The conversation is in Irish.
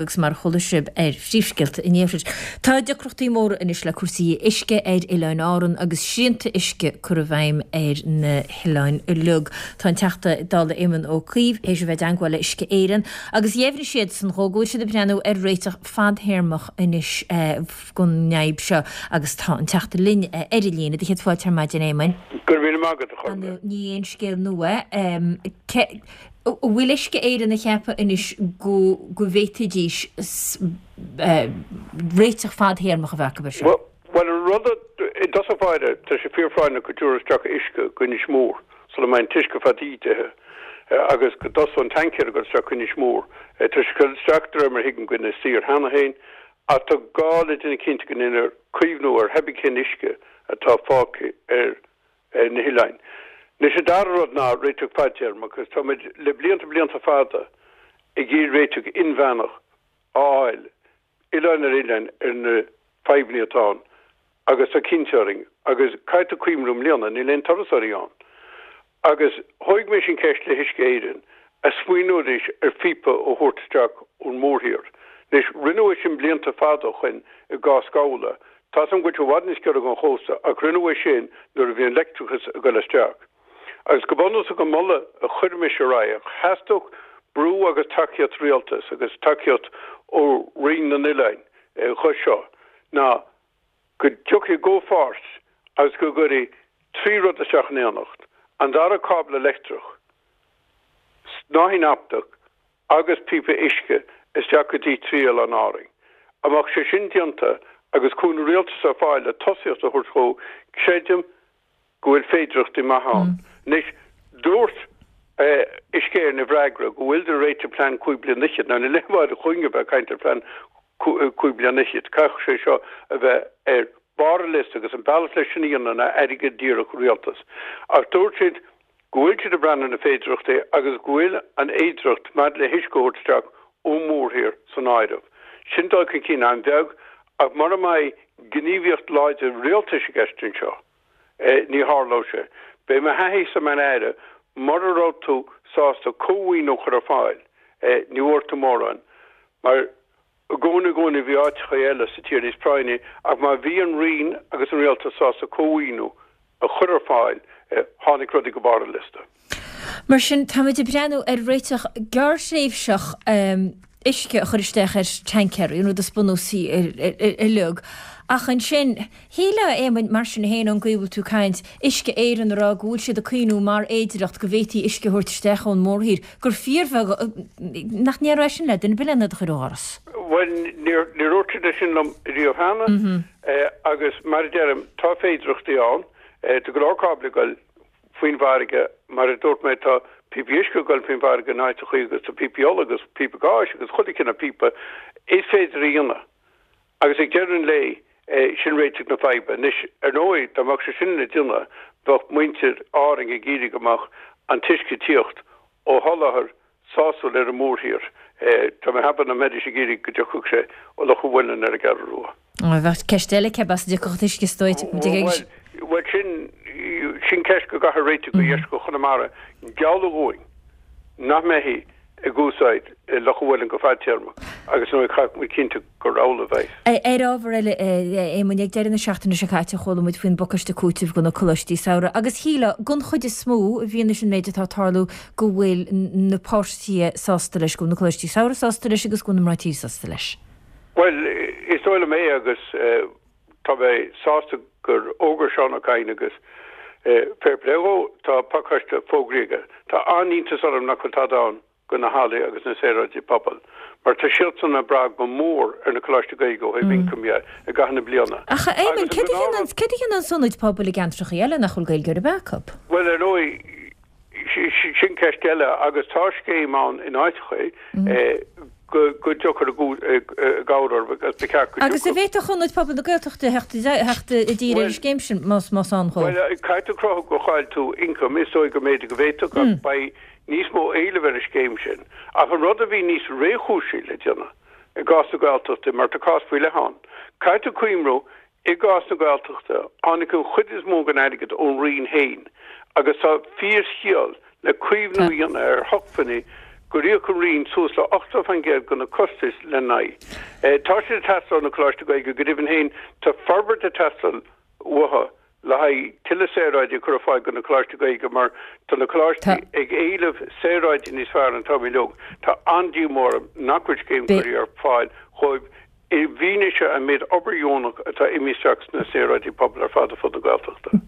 Agus mar a chuala sibh ar phríomhscéalta an iarthair, tá deacrachtaí móra anois le cúrsaí uisce ar Oileáin Árann agus srianta uisce curtha i bhfeidhm ar na hoileáin uilig. Tá an Teachta Dála Éamon Ó Cuív théis a bheith i dteangmháil le Uisce Éireann agus dheimhnigh siadsan dhó go bhfuil siad ag breathnú ar réiteach fadthéarmach anois don fhadhb seo agus tá an Teachta linn ar an líne. Do chéad fáilte ar maidin, a Éamoin. Go raibh míle maith agat, a Chormac. Ní aon scéal nua é. An bhfuil Uisce Éireann ag ceapadh anois go go bhféadfaidís réiteach fadthéarmach a bheith acu air seo? Bhuel, an rud i dtosach báire, tá sé fíorphráinneach go dtabharfar isteach uisce go Inis Mór sula mbeidh an t-uisce fada ídithe agus go dtosóidh an tancaer ag dul isteach go Inis Mór. Tá sé ag dul isteach, de réir mar a thuigim, go Inis Oírr cheana féin ach tá gá le déanamh cinnte go ndéanfar caomhnú ar thébí cén uisce atá fágtha ar ar na hoileáin. Anois an dara rud ná réiteach fadtéarmach agus tá muid le blianta blianta fada ag iarraidh réiteach inmheánach a fháil, oileán ar oileán, ar na fadhbanna atá ann agus tá cinnte orainn agus caithfidh tú cuimhniú i mbliana níl aon turasóirí ann agus thóig mise an cheist le hUisce Éireann a smaoineoidís ar phíopa a thabhairt isteach ón mórthír. Anois rinneadh é sin blianta fada ó shoin i gcás Ghabhla Tá's a'm go bhfuil sé i bhfad níos giorra don chósta ach rinneadh é sin nuair a bhí an leictreachas ag dul isteach. Agus go bunúsach an moladh a chuir mise ar aghaidh ach theastódh brú agus tacaíocht rialtais agus tacaíocht ó Roinn na nOileáin dho seo ná go dtiocfaí i gcomhpháirt agus go gcuirfí 3 rud isteach in éineacht, an dara cábla leictreach, snáithín optach agus píopa uisce isteach go dtí 3 oileán Árainn. Dá mbeadh sé sin déanta agus cúnamh rialtais ar fáil le tosaíocht a thabhairt dhó, creidim go bhfuil féidireachtaí maithe ann. Anois, dúirt Uisce Éireann i bhfreagra go bhfuilid ag réiteach plean 5 bliana fhichead. Now, níl aon mhaith dhúinn a bheith ag caint ar phlean 5 bliana fhichead. Caithfidh sé seo a bheith ar barr an liosta agus an bealach leis sin a dhéanamh ná airgead díreach ó rialtas. Ach dúirt siad go bhfuil siad ag breathnú ar na féidireachtaí agus go bhfuil an fhéidireacht maidir le huisce a thabhairt isteach ón mórthír san áireamh. Sin dul chun cinn an-bheag ach mura mbeidh gníomhaíocht láidir rialtais i gceist anseo, ní tharlóidh sé. B'é mo thaithísa mar Aire, mura raibh tú sásta cómhaoiniú a chur ar fáil, ní bhfuair tú mórán mar I gcónaí, i gcónaí bhí áiteacha eile sa tír níos práinní ach má bhí an Roinn agus an Rialtas sásta cómhaoiniú a chur ar fáil, tháinig rudaí go barr an liosta. Mar sin, táimid ag breathnú ar réiteach gearrthréimhseach uisce a chur isteach ar tancaeirí, an rud is bunúsaí uilig. Ach ansin, Shílfeá, a Éamoinn, mar sin féin, ón gcaoi a bhfuil tú ag caint, Uisce Éireann a rá go bhfuil siad ag cuimhniú mar fhéidireacht go bhféadfaí uisce a thabhairt isteach ón mórthír, gur fíorbheag, nach ndéarfá é sin le duine ar bith len iad a chur ó dhoras? Bhuel, níor dhúirt siad é sin liom riamh cheana agus mar a deirim, tá féidireachtaí ann. Tá go leor cáblaí ag dul faoin bhfarraige, mar a dúirt mé, tá píopaí uisce ag dul faoin bhfarraige in áiteachaí agus tá píopaí ola agus píopa gáis agus chuile chineál píopa is féidir a dhéanamh. Agus ag deireadh an lae, sin réiteach na faidhbe. Anois, ar ndóigh, dá mbeadh sé sin le déanamh, bheadh muintir Árainn ag iarraidh go mbeadh an t-uisce ag tíocht ó sholáthar sásúil ar an mórthír. Tá mé ag ceapadh nach mbeidís ag iarraidh go dtiocfadh sé ó Loch an Mhuilinn ar an gCeathrú Rua. Bheadh ceist eile, cé as a dtiocfadh an t-uisce is dóigh. Bhuel, sin, sin ceist go gcaithfear réiteach do dheisceart Chonamara. Gealladh dhúinn nach mbeifí ag úsáid Loch an Mhuilinn go fadtéarmach agus nó caithfidh muid cinntiú gur amhlaidh a bheidh. Ar ábhar eile, a Éamoinn, ag deireadh na seachtaine seo caite chuala muid faoin bpacáiste cúitimh do na coláistí samhraidh agus shílfeá, den chuid is mó, i bhfianaise an méid atá ag tarlú, go bhfuil na páirtithe sásta leis, go bhfuil na coláistí samhraidh sásta leis agus go bhfuil na mná tí sásta leis. Bhuel, is dóigh liom é agus tá mé sásta gur fhógair Seán Ó Cadhain agus fair play dhó, tá pacáiste fógraithe aige. Tá an-iontas orm nach bhfuil tada ann do na hallaí agus na saoráidí pobail, mar tá siadsan ag brath go mór ar na coláistí Gaeilge ó thaobh ioncaim dhe i gcaitheamh na bliana. Ach a Éamoinn, céard a dhéanann, céard a dhéanann ionaid pobail i gceantracha eile nach bhfuil Gaeilge ar bith acu? Bhuel, ar ndóigh, Sin ceist eile agus tá scéim ann in áiteachaí go dtiocfar i gcabhair orthu agus ba cheart go dtiocfadh. Agus an bhféadfadh Ionaid Pobail na Gaeltachta theacht i dtír ar an scéim sin más ann dhó? Bhuel, caithfidh tú cruthú gur chaill tú ioncam, is dóigh go mb'fhéidir go bhféadfadh ach beidh níos mó éilimh ar an scéim sin. Ach an rud a bhí níos réchúisí le déanamh i gcás na Gaeltachta, mar tá cás faoi leith ann, caithfidh tú cuimhniú I gcás na Gaeltachta, tháinig an chuid is mó den airgead ón Roinn féin agus tá fíorshiol le caomhnú a dhéanamh ar shócmhainní. gur íoc an Roinn suas le 80% de na costais lena n-aghaidh. Tá siad ag teastáil ó na Coláistí Gaeilge, go deimhin féin tá forbairt ag teastáil uathu le haghaidh tuilleadh saoráidí a chur ar fáil do na Coláistí Gaeilge mar tá na coláistí ag éileamh saoráidí níos fearr an t-am uilig. Tá an-díomá orm nach bhfuil scéim curtha ar fáil dhóibh i bhfianaise an méid obair dheonach atá imithe isteach sna saoráidí pobail ar fad ar fud na Gaeltachta.